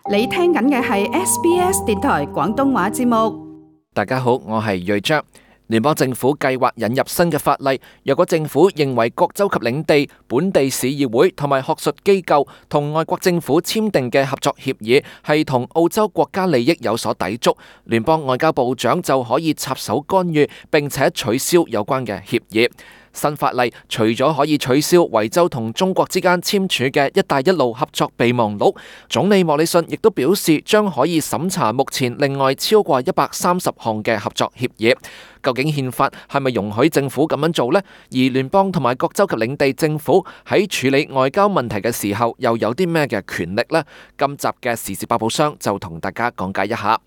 你聽緊嘅係 SBS 電台廣東話節目。大家好，我係瑞章。聯邦政府計劃引入新嘅法例，若果政府認為各州及領地、本地市議會同埋學術機構同外國政府簽訂嘅合作協議係同澳洲國家利益有所抵觸，聯邦外交部長就可以插手干預，並且取消有關嘅協議。新法例除咗可以取消維州同中國之間簽署嘅一帶一路合作備忘錄，總理莫里遜亦都表示將可以審查目前另外超過130項嘅合作協議。究竟憲法係咪容許政府咁樣做呢？而聯邦同埋各州及領地政府喺處理外交問題嘅時候又有啲咩嘅權力呢？今集嘅時事百寶箱就同大家講解一下。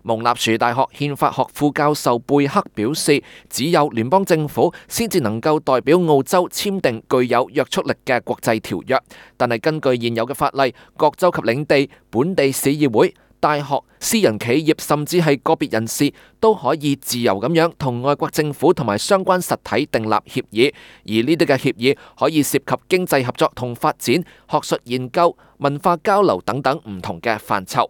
蒙納殊大學憲法學副教授貝克表示，只有聯邦政府先至能夠代表澳洲簽訂具有約束力嘅國際條約，但係根據現有嘅法例，各州及領地、本地市議會、大學、私人企業甚至係個別人士都可以自由咁樣同外國政府同埋相關實體訂立協議，而呢啲嘅協議可以涉及經濟合作同發展、學術研究、文化交流等等唔同嘅範疇。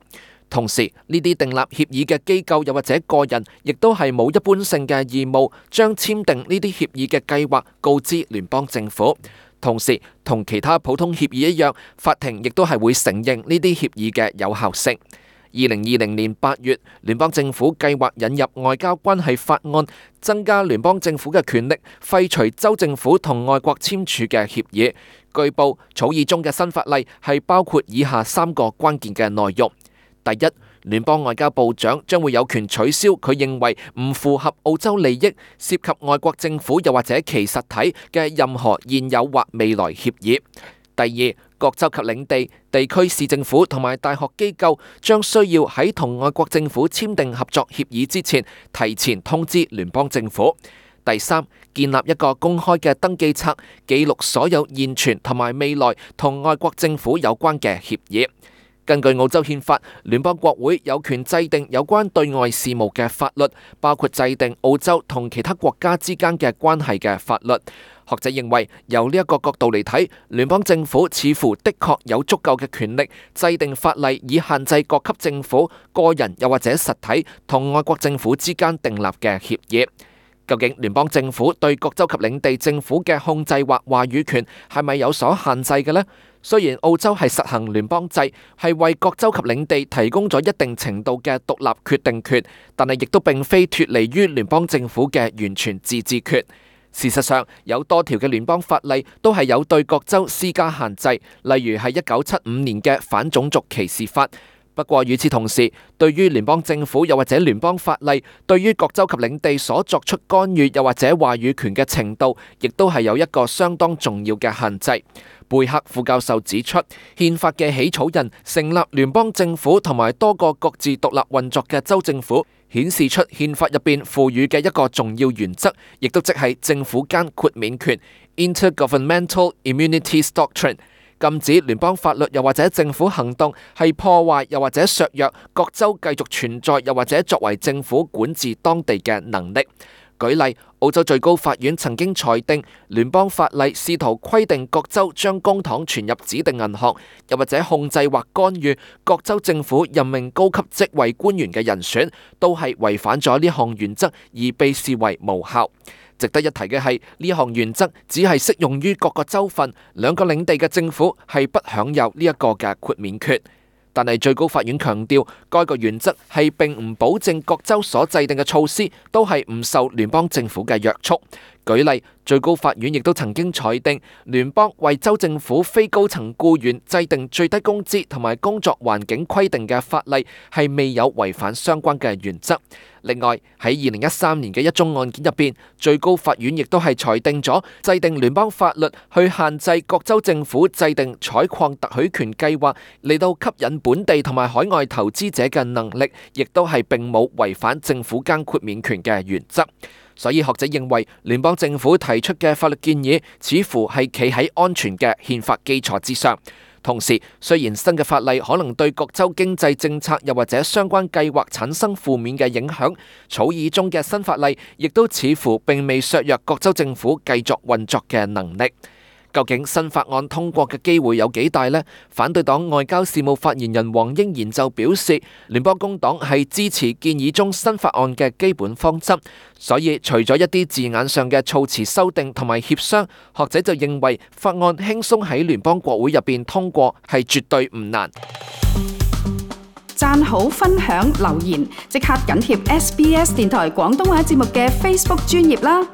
同時，呢啲訂立協議嘅機構又或者個人，亦都係冇一般性嘅義務將簽訂呢啲協議嘅計劃告知聯邦政府。同時，同其他普通協議一樣，法庭亦都係會承認呢啲協議嘅有效性。2020年8月，聯邦政府計劃引入外交關係法案，增加聯邦政府嘅權力，廢除州政府同外國簽署嘅協議。據報，草擬中嘅新法例係包括以下3個關鍵嘅內容。第一，聯邦外交部長將會有權取消佢認為唔符合澳洲利益、涉及外國政府又或者其實體嘅任何現有或未來協議。第二，各州及領地、地區市政府同埋大學機構將需要喺同外國政府簽訂合作協議之前，提前通知聯邦政府。第三，建立一個公開嘅登記冊，記錄所有現存同埋未來同外國政府有關嘅協議。根據澳洲憲法，聯邦國會有權制定有關對外事務嘅法律，包括制定澳洲同其他國家之間嘅關係嘅法律。學者認為，由呢一個角度嚟睇，聯邦政府似乎的確有足夠嘅權力制定法例，以限制各級政府、個人又或者實體同外國政府之間訂立嘅協議。究竟聯邦政府對各州及領地政府嘅控制或話語權係咪有所限制嘅呢？雖然澳洲係實行聯邦制，係為各州及領地提供咗一定程度嘅獨立決定權，但係亦都並非脫離於聯邦政府嘅完全自治權。事實上，有多條嘅聯邦法例都係有對各州施加限制，例如係1975年嘅反種族歧視法。不過與此同時，對於聯邦政府又或者聯邦法例對於各州及領地所作出干預又或者話語權嘅程度，亦都係有一個相當重要嘅限制。貝克副教授指出，憲法嘅起草人成立聯邦政府同埋多個各自獨立運作嘅州政府，顯示出憲法入邊賦予嘅一個重要原則，亦都即係政府間豁免權 （Intergovernmental Immunities Doctrine）。禁止聯邦法律又或者政府行動係破壞又或者削弱各州繼續存在又或者作為政府管治當地嘅能力。舉例，澳洲最高法院曾經裁定聯邦法例試圖規定各州將公帑存入指定銀行，又或者控制或干預各州政府任命高級職位官員嘅人選，都係違反咗呢項原則而被視為無效。值得一提嘅係，呢項原則只係適用於各個州份，兩個領地嘅政府係不享有呢一個嘅豁免權。但係最高法院強調，該個原則係並唔保證各州所制定嘅措施都係唔受聯邦政府嘅約束。舉例，最高法院亦都曾經裁定，聯邦為州政府非高層僱員制定最低工資同埋工作環境規定嘅法例係未有違反相關嘅原則。另外，喺2013年嘅一宗案件入邊，最高法院亦都係裁定咗制定聯邦法律去限制各州政府制定採礦特許權計劃嚟到吸引本地同埋海外投資者嘅能力，亦都係並冇違反政府間豁免權嘅原則。所以學者認為，聯邦政府提出嘅法律建議似乎係企喺安全嘅憲法基礎之上。同時，雖然新嘅法例可能對各州經濟政策又或者相關計劃產生負面嘅影響，草擬中嘅新法例亦都似乎並未削弱各州政府繼續運作嘅能力。究竟新法案通過嘅機會有幾大呢？反對黨外交事務發言人黃英賢就表示，聯邦工黨係支持建議中新法案嘅基本方針，所以除咗一啲字眼上嘅措辭修訂同埋協商，學者就認為法案輕鬆喺聯邦國會入邊通過係絕對唔難。讚好、分享、留言，即刻緊貼SBS 電台廣東話節目嘅 Facebook 專頁啦！